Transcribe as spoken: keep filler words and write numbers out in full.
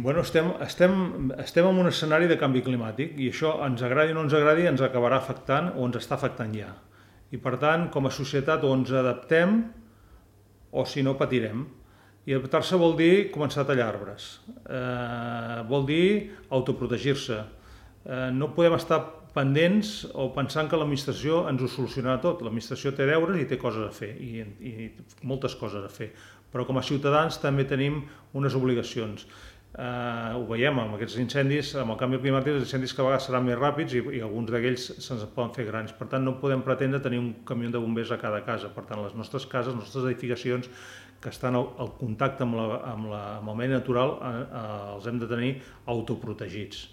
Bueno, estem, estem, estem en un escenari de canvi climàtic i això, ens agradi o no ens agradi, ens acabarà afectant o ens està afectant ja. I per tant, com a societat, o ens adaptem o si no patirem. I adaptar-se vol dir començar a tallar arbres. Eh, vol dir autoprotegir-se. Eh, no podem estar pendents o pensant que l'administració ens ho solucionarà tot. L'administració té deures i té coses a fer, i, i moltes coses a fer. Però com a ciutadans també tenim unes obligacions. Eh, ho veiem amb aquests incendis, amb el canvi climàtic, els incendis que a vegades seran més ràpids i, i alguns d'aquells se'ns poden fer grans. Per tant, no podem pretendre tenir un camió de bombers a cada casa. Per tant, les nostres cases, les nostres edificacions que estan al, al contacte amb, la, amb, la, amb el medi natural, eh, eh, els hem de tenir autoprotegits.